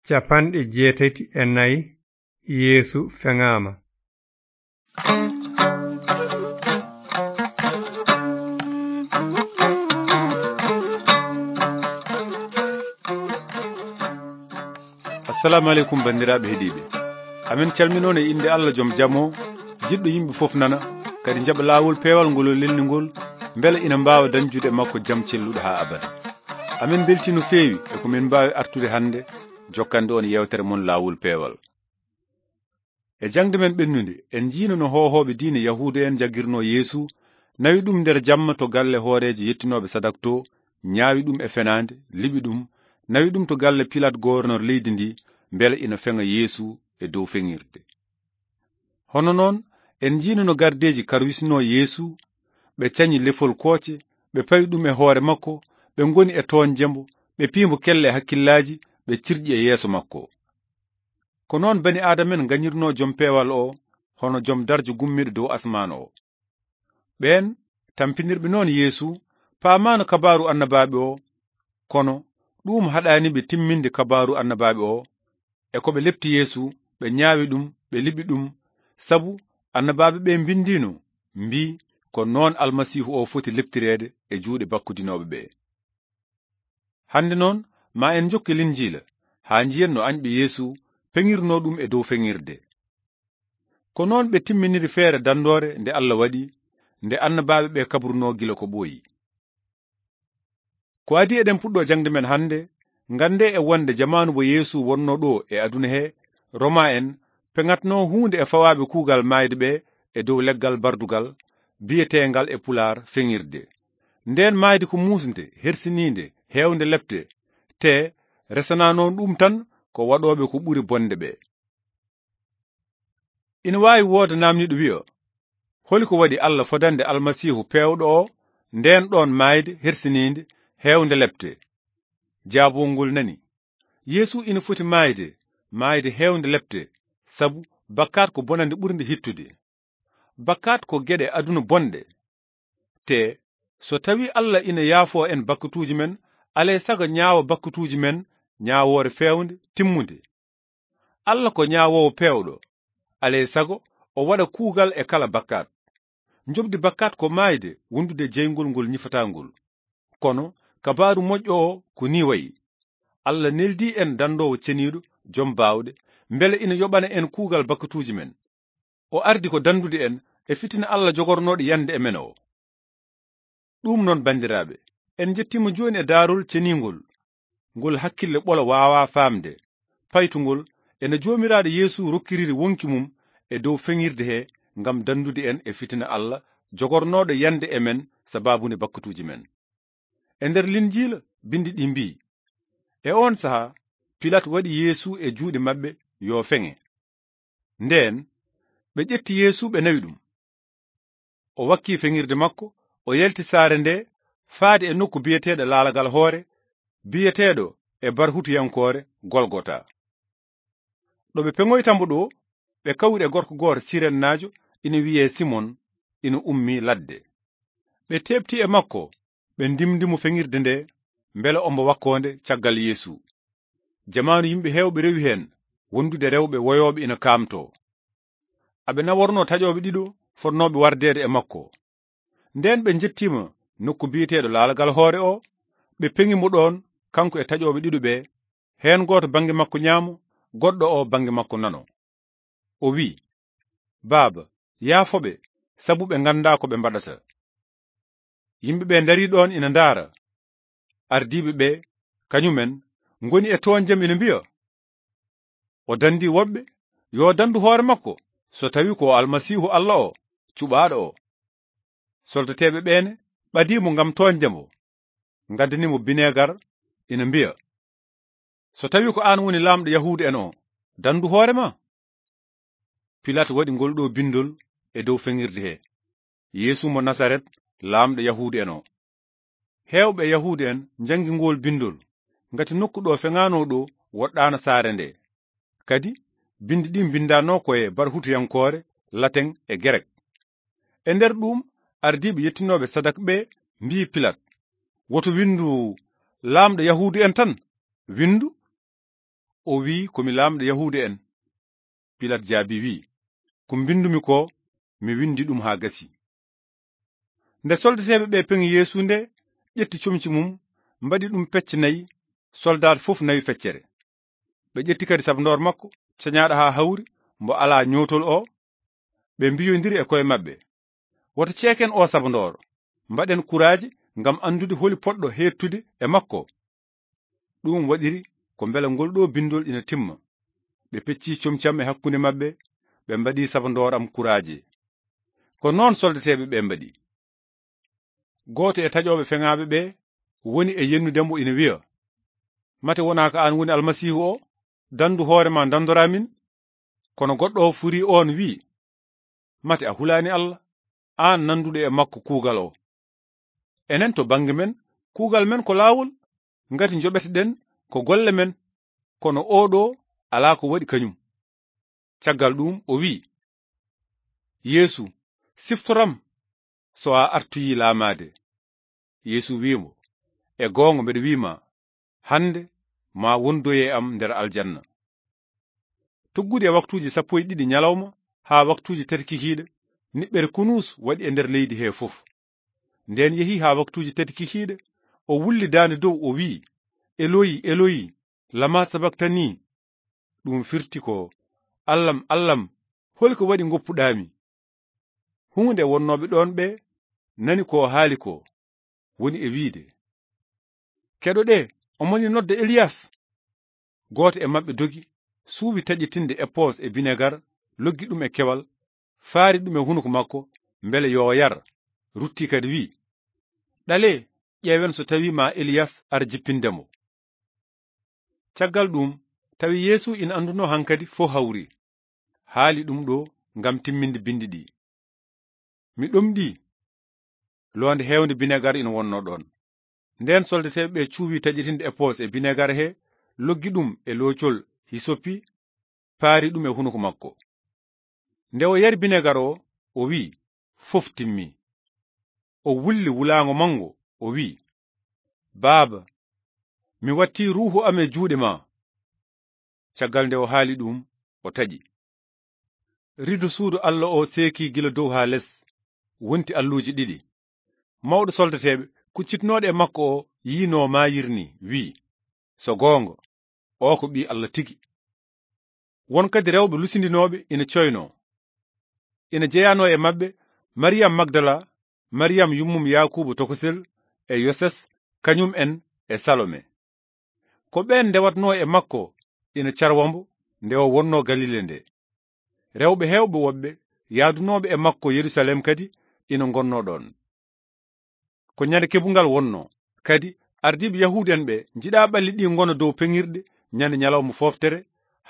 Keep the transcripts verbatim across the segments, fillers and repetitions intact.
Capanɗe jeetati e nayi. Yeesu feŋaama. Assalamu aleykum, banndiraaɓe heɗiiɓe. Amin calminoon e innde Allah joom jam o, jiɗɗo yimɓe fof nana, kadi jaɓa laawol peewal ngol o lelni ngol, mbele ina mbaawa dañjude e makko jam celluɗo haa abada. Amin mbeltii no feewi e ko min mbaawi artude hannde, jokkande on yeewtere mon laawol peewal. E jaŋde men ɓennunde, en njiino no hoohooɓe diine Yahuuda en njaggirnoo Yeesu, nawi ɗum nder jamma to galle hooreejo yettinooɓe sadak to, ñaawi ɗum e fenaande, liɓi ɗum, nawi ɗum to galle Pilaat goornor leydi ndi, mbele ina feŋa Yeesu e dow feŋirde. Hono noon, en njiino no gardeeji karwisnoo Yeesu, ɓe cañi lefol kooce, ɓe pawi ɗum e hoore makko, ɓe ngoni e toonje mbo, ɓe pii mbo kelle e hakkillaaji, ɓe cirƴi e yeeso makko. Ko noon bani Aadama en ngañirnoo Jom Peewal o, hono Jom Darjo gummiiɗo dow asmaan o. Ɓeen tampinirɓe noon Yeesu paamaano kabaaru annabaaɓe o, kono ɗuum haɗaani ɓe timminde kabaaru annabaaɓe o. E ko ɓe lepti Yeesu, ɓe ñaawi ɗum, ɓe liɓi ɗum, sabu annabaaɓe ɓe mbindiino, mbii ko noon Almasiihu o foti leptireede e juuɗe bakkudinooɓe ɓe. Hannde noon, ma en njokke Linjiila, haa njiyen no añɓe Yeesu peŋirnoo ɗum e dow feŋirde. Ko noon ɓe timminiri feere danndoore nde Allah waɗi, nde annabaaɓe ɓe kabrunoo gila ko ɓooyi. Ko adii eɗen puɗɗoo jaŋde men hannde, nganndee e wonde jamaanu mo Yeesu wonnoo ɗo e aduna he, Roma en peŋatnoo huunde e fawaaɓe kuugal maayde ɓe e dow leggal bardugal, biyeteengal e Pulaar feŋirde. Ndeen maayde ko muusnde, hersiniinde, heewnde lepte, te resanaano ɗum tan ko waɗooɓe ko ɓuri bonde ɓe. Ina waawi wooda naamniiɗo wiya, holi ko waɗi Allah fodande Almasiihu peewɗo o ndeen ɗoon maayde hersiniinde, heewnde lepte? Jaabungol nani. Yeesu ina foti maayde, maayde heewnde lepte, sabu bakkaat ko bonande ɓurnde hittude. Bakkaat ko geɗe aduna bonɗe. Te, so tawii Allah ina yaafoo en bakkatuuji men, alay sago ñaawa bakkatuuji men ñaawoore feewnde, timmunde. Allah ko ñaawoowo peewɗo, alay sago o waɗa kuugal e kala bakkaat. Njoɓdi bakkaat ko maayde, wondude jeyngol ngol ñifataa ngol. Kono, kabaaru moƴƴo o ko nii wayi. Allah neldii en danndoowo ceniiɗo, jom baawɗe, mbele ina yoɓana en kuugal bakkatuuji men. O ardi ko danndude en e fitina Allah jogornooɗo yande e men o. Ɗum noon, banndiraaɓe, en njettiima jooni e daarol ceniingol, ngol hakkille ɓolo waawaa faamde, paytungol, ena Joomiraaɗo Yeesu rokkiriri wonki mum e dow feŋirde he ngam danndude en e fitina Allah jogornooɗo yande e men sabaabu nde bakkatuuji men. E nder Linjiila, binndi ɗi mbii, e oon sahaa, Pilaat waɗi Yeesu e juuɗe maɓɓe yo feŋe. Ndeen, ɓe ƴetti Yeesu, ɓe nawi ɗum. O wakkii feŋirde makko, o yalti saare nde, faade e nokku biyeteeɗo Laalagal Hoore, biyeteeɗo e barhutuyankoore Golgota. Ɗo ɓe peŋoyta mbo ɗo, ɓe kawri e gorko gooto Sirennaajo, ina wiyee Simon, ina ummii ladde. Ɓe teeɓti e makko, ɓe ndimndi mo feŋirde nde, mbele ombo wakkoonde caggal Yeesu. Jamaanu yimɓe heewɓe rewi heen, wondude rewɓe woyooɓe ina kaamtoo. Aɓe nawornoo taƴooɓe ɗiɗo fotnooɓe wardeede e makko. Ndeen ɓe njettiima nokku biyeteeɗo Laalagal Hoore o, ɓe peŋi mo ɗoon, kanko e taƴooɓe ɗiɗo ɓe, heen gooto bannge makko ñaamo, goɗɗo o bannge makko nano. O wii, "Baaba, yaafo ɓe, sabu ɓe nganndaa ko ɓe mbaɗata." Yimɓe ɓe ndarii ɗoon ina ndaara. Ardiiɓe ɓe, kañumen, ngoni e toonjam ina mbiya, "O danndii woɓɓe, yo danndu hoore makko, so tawii ko o Almasiihu Allah o, cuɓaaɗo o." Soldateeɓe ɓeene ɓadii mo ngam toonjde mo, ngaddanii mo bineegar, ina mbiya, "So tawii ko aan woni laamɗo Yahuudu en o, danndu hoore ma." Pilaat waɗi ngol ɗo binndol e dow feŋirde he, "Yeesu mo Nasaret, laamɗo Yahuudu en o." Heewɓe e Yahuudu en njanngi ngol binndol, ngati nokku ɗo feŋaanoo ɗo woɗɗaano saare nde. Kadi, binndi ɗi mbinndaanoo ko e barhutuyankoore, lateŋ e gerek. E nder ɗuum, ardiiɓe yettinooɓe sadak ɓe mbii Pilaat, "Woto winndu, 'Laamɗo Yahuudu en' tan, winndu, o wi'i, "Ko mi laamɗo Yahuudu'en." Pilat jaabi, wi'i, "Ko mbinndumi ko, mi winndi ɗum haa gasi." Nde soldateeɓe ɓe peŋi Yeesu nde, ƴetti comci mum, mbaɗi ɗum pecce nayi, soldaat fof nawi feccere. Ɓe ƴetti kadi sabandoor makko, cañaaɗo haa hawri, mbo alaa ñootol o, ɓe mbiyondiri e koye maɓɓe, "Wota ceeken o sabandoor, mbaɗen kuraaji ngam anndude holi poɗɗo heedtude e makko." Ɗum waɗiri ko mbele ngol ɗo binndol ina timma. Ɓe pecci comci am e hakkunde maɓɓe, ɓe mbaɗi sabandoor am kuraaji. Ko noon soldateeɓe ɓe mbaɗi. Gooto e taƴooɓe feŋaaɓe ɓe woni e yennude mbo ina wiya, "Mate wonaa ko aan woni Almasiihu o? Danndu hoore ma, ndanndora min." Kono goɗɗo o furi oon, wi'i, "Mate a hulaani Allah, aan nannduɗo e makko kuugal o? Enen to bannge men, kuugal men ko laawol, ngati njoɓeteɗen ko golle men, kono oo ɗo alaa ko waɗi kañum." Caggal ɗum o wi'i, "Yeesu, siftoram so a artoyii laamaade." Yeesu wi'i mo, "E goonga mbeɗa wi'i ma, hannde ma wondoye am nder aljanna." Tuggude e waktuuji sappo e ɗiɗi ñalawma haa waktuuji tati kikiiɗe, niɓɓere kunuus waɗi e nder leydi he fof. Nden yehi haa waktuuji tati kikiiɗe, o wulli daande dow, o wi'i, "Eloyi, Eloyi, lama sabaktani?" Ɗum firti ko, "Allam, Allam, holi ko waɗi ngoppuɗaami?" Huunde wonnooɓe ɗoon ɓe nani ko haali ko, woni e wi'de, "Keɗoɗee, omo ni nodda Eliyas." Gooto e maɓɓe dogi, suuwi taƴitinde epoos e binegar, loggi ɗum e kewal, faari ɗum e hunuko makko, mbele yo o yar. Rutti kadi wi'i, "Ɗalee, ƴeewen so tawii ma Eliyas ar jippinde mo." Caggal ɗum, tawi Yeesu ina anndunoo hankadi fof hawri. Haali ɗum ɗo ngam timminde binndi ɗi, "Mi ɗomɗii." Loonde heewnde binegar ina wonnoo ɗoon. Ndeen soldateeɓe ɓe cuuwi taƴitinde epoos e binegar he, loggi ɗum e loocol hisopi, paari ɗum e hunuko makko. Nde o yari binegar o, o wi'i, "Fof timmi." O wulli wulaango manngo, o wi'i, "Baaba, mi wattii ruuhu am e juuɗe ma." Caggal nde o haali ɗum, o taƴi. Rido suudu Allah o seeki gila dow haa les, wonti alluuje ɗiɗi. Mawɗo soldateeɓe kuccitnooɗo e makko o yiinoo maayirni, wi'i, "So goonga, o ko Ɓii Allah tigi." Won kadi rewɓe lusindinooɓe ina coynoo. Ina jeyanoo e maɓɓe Mariyam Magdala, Mariyam yummum Yaakuubu tokosel, e Yoses, kañum en e Salome. Ko ɓeen ndewatnoo e makko ina carwa mbo nde o wonnoo Galile nde. Rewɓe heewɓe woɓɓe yaadunooɓe e makko Yerusalem kadi ina ngonnoo ɗoon. Ko ñande keɓungal wonnoo, kadi ardiiɓe Yahuudu en ɓe njiɗaa ɓalli ɗi ngona dow peŋirɗe ñande ñalawma fooftere,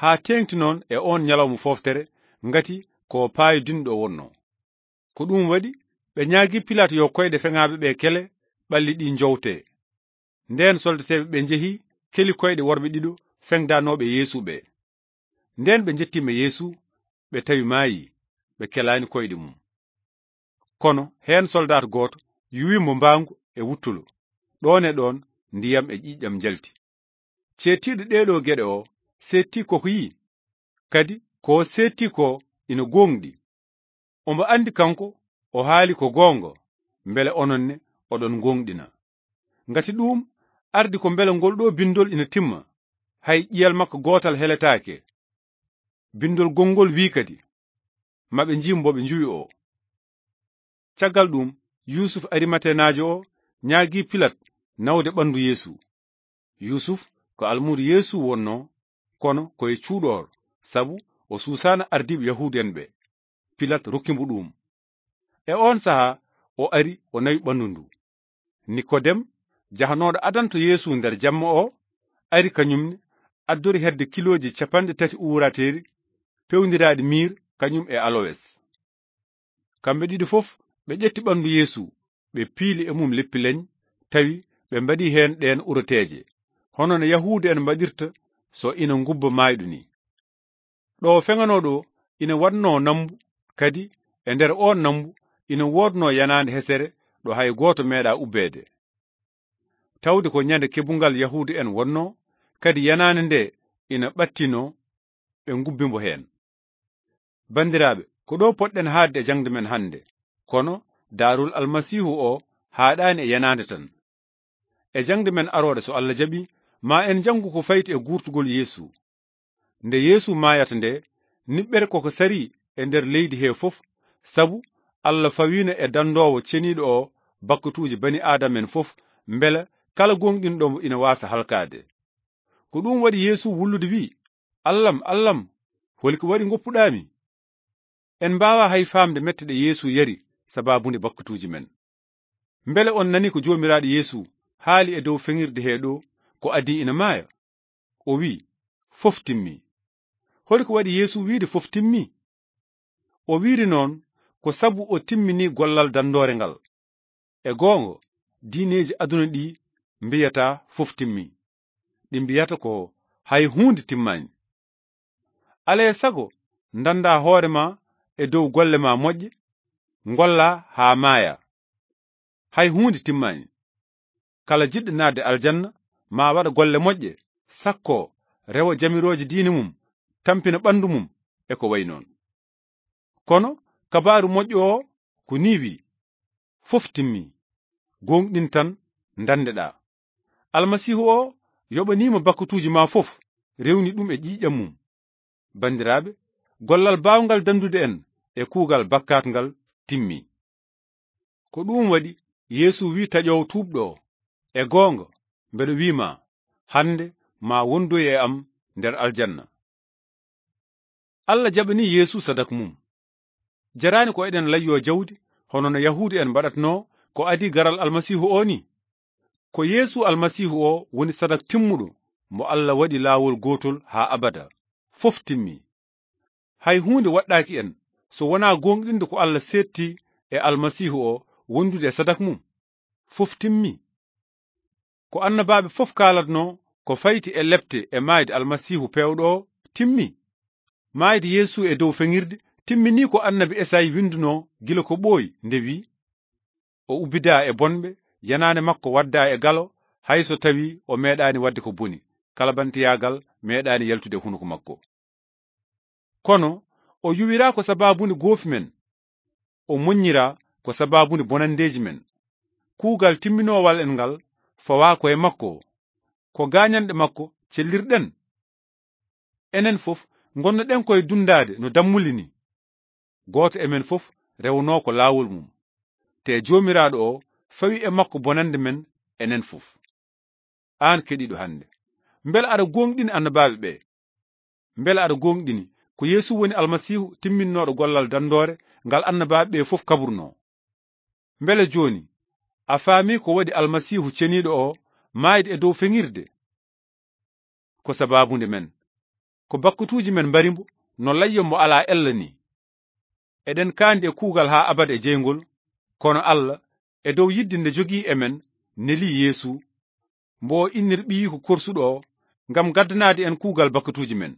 haa teeŋti noon e oon ñalawma fooftere, ngati ko paayodinɗo wonnoo. Ko ɗum waɗi ɓe ñaagii Pilaat yo koyɗe feŋaaɓe ɓe kele, ɓalli ɗi njowtee. Ndeen soldateeɓe ɓe njehi, keli koyɗe worɓe ɗiɗo feŋdanooɓe Yeesu ɓe. Ndeen ɓe njettiima Yeesu, ɓe tawi maayi, ɓe kelaani koyɗe mum. Kono heen soldaat gooto yuwi mo mbaangu e wuttulo. Ɗoon e ɗoon ndiyam e ƴiiƴam njalti. Ceedtiiɗo ɗee ɗoo geɗe o seettii ko ko yi'i, kadi ko o seettii ko ina gooŋɗi. Omo anndi kanko o haali ko goonga, mbele onon ne oɗon ngooŋɗina. Ngati ɗum ardi ko mbele ngol ɗoo binndol ina timma, hay ƴiyel makko gootal heletaake. Binndol gonngol wi'i kadi, "Maɓe njiim mbo ɓe njuwi o." Caggal ɗum, Yuusuf Arimatenaajo o ñaagii Pilat nawde ɓanndu Yeesu. Yuusuf ko almuudo Yeesu wonnoo, kono ko e cuuɗoor, sabu o suusaana ardiiɓe Yahuudu en ɓe. Pilat rokki mbo ɗum. E oon sahaa, o ari, o nawi ɓanndu ndu. Nikodem, jahanooɗo adanto Yeesu nder jamma o, ari kañum ne, addori hedde kilooji capanɗe tati uurateeri, pewndiraaɗi miir, kañum e alowes. Kamɓe ɗiɗo fof, ɓe ƴetti ɓanndu Yeesu, ɓe piili e mum leppi leny, tawi ɓe mbaɗi heen ɗeen uroteeje, hono no Yahuudu en mbaɗirta so ina ngubba maayɗo ni. Ɗo feŋanoo ɗo ina waɗnoo nammbu, kadi e nder oon nammbu ina woodnoo yanaande hesere ɗo hay gooto meeɗaa ubbeede. Tawde ko ñande keɓungal Yahuudu en wonnoo, kadi yanaande nde ina ɓattino, ɓe ngubbi mbo heen. Banndiraaɓe, ko ɗo poɗɗen haaɗde e jaŋde men hannde, kono daarol Almasiihu o haaɗaani e yenaande tan. E jaŋde men arooɗe, so Allah jaɓi, ma en njanngu ko fayti e guurtugol Yeesu. Nde Yeesu maayata nde, niɓɓere koko sari e nder leydi he fof, sabu Allah fawiino e danndoowo ceniiɗo o bakkatuuji bani Aadama en fof, mbela kala gooŋɗinɗo mo ina waasa halkaade. Ko ɗum waɗi Yeesu wullude wi'i, "Allam, Allam, holi ko waɗi ngoppuɗaa mi?" En mbaawaa hay faamde mette ɗe Yeesu yari sabaabu nde bakkatuuji men. Mbele on nani ko Joomiraaɗo Yeesu haali e dow feŋirde he ɗo, ko adii ina maaya? O wi'i, "Fof timmi." Holi ko waɗi Yeesu wiide, "Fof timmi"? O wiiri noon ko sabu o timmini gollal danndoore ngal. E goonga, diineeji aduna ɗi mbiyata fof timmi. Ɗi mbiyata ko hay huunde timmaani. Alaa e sago, ndannda hoore ma e dow golle ma moƴƴe, ngolla haa maaya. Hay huunde timmaani. Kala jiɗɗo naatde aljanna, ma waɗa golle moƴƴe, sakko rewa jamirooje diine mum, tampina ɓanndu mum, e ko wayi noon. Kono kabaaru moƴƴo o ko nii wi'i, "Fof timmi. Gooŋɗin tan, ndanndeɗaa." Almasiihu o yoɓaniima bakkatuuji ma fof, rewni ɗum e ƴiiƴam mum. Banndiraaɓe, gollal baawngal danndude en e kuugal bakkaat ngal timmi. Ko ɗum waɗi Yeesu wi'i taƴoowo tuubɗo o, "E goonga, mbeɗo wi'i ma, hannde ma wondoy e am nder aljanna." Allah jaɓani Yeesu sadak mum. Jaraani ko eɗen layyoo jawdi, hono no Yahuudu en mbaɗatnoo ko adii garal Almasiihu o ni. Ko Yeesu Almasiihu o woni sadak timmuɗo mo Allah waɗi laawol gootol haa abada. Fof timmi. Hay huunde waɗɗaaki en so wonaa gooŋɗinde ko Allah seetti e Almasiihu o wondude e sadak mum. Fof timmi. Ko annabaaɓe fof kaalatnoo ko fayti e lepte e maayde Almasiihu peewɗo o timmi. Maayde Yeesu e dow feŋirde timminii ko annabi Esayi winndunoo gila ko ɓooyi nde wi'i, "O ubbidaa e bonɓe, yenaande makko waddaa e galo, hay so tawii o meeɗaani waɗde ko boni, kalbantiyaagal meeɗaani yaltude e hunuko makko." Kono o yuwiraa ko sabaabunde goofi men, o moññiraa ko sabaabunde bonanndeeji men. Kuugal timminoowal en ngal fawaa ko e makko, ko gaañanɗe makko cellirɗen. Enen fof ngonnoɗen koye dunndaade no dammuli ni. Gooto e men fof rewnoo ko laawol mum. Te Joomiraaɗo o fawi e makko bonannde men enen fof. Aan keɗiiɗo hannde, mbele aɗa gooŋɗini annabaaɓe ɓe? Mbele aɗa gooŋɗini ko Yeesu woni Almasiihu timminnooɗo gollal danndoore ngal annabaaɓe ɓe fof kabrunoo? Mbele jooni a faami ko waɗi Almasiihu ceniiɗo o maayde e dow feŋirde? Ko sabaabunde men. Ko bakkatuuji men mbari mbo no layyo mo alaa ella ni. Eɗen kaandi e kuugal haa abada e jeyngol, kono Allah, e dow yidde nde jogii e men, nelii Yeesu, mbo o innir ɓiyiiko korsuɗo o, ngam gaddanaade en kuugal bakkatuuji men.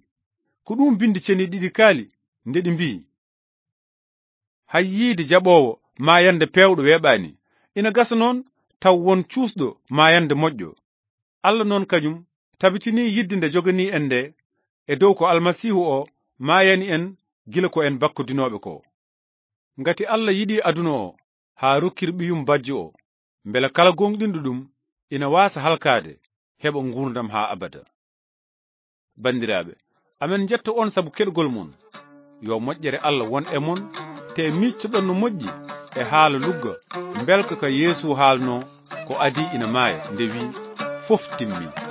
Ko ɗum binndi ceniiɗi ɗiɗi kaali, nde ɗi mbiyi, "Hay yiide jaɓoowo maayande peewɗo weeɓaani. Ina gasa noon taw won cuusɗo maayande moƴƴo." Allah noon kañum tabitinii yidde nde joganii en nde e dow ko Almasiihu o maayani en gila ko en bakkodinooɓe ko. Ngati Allah yiɗi aduna o haa rokkir ɓiyum bajjo o, mbele kala gooŋɗinɗo ɗum ina waasa halkaade, heɓa nguurndam haa abada. Banndiraaɓe, amen njetta on sabu keɗgol mon. Yo moƴƴere Allah won e mon, te miictoɗon no moƴƴi e haala lugga, mbelka ka Yeesu haalnoo ko adii ina maaya, nde wi'i, "Fof timmi."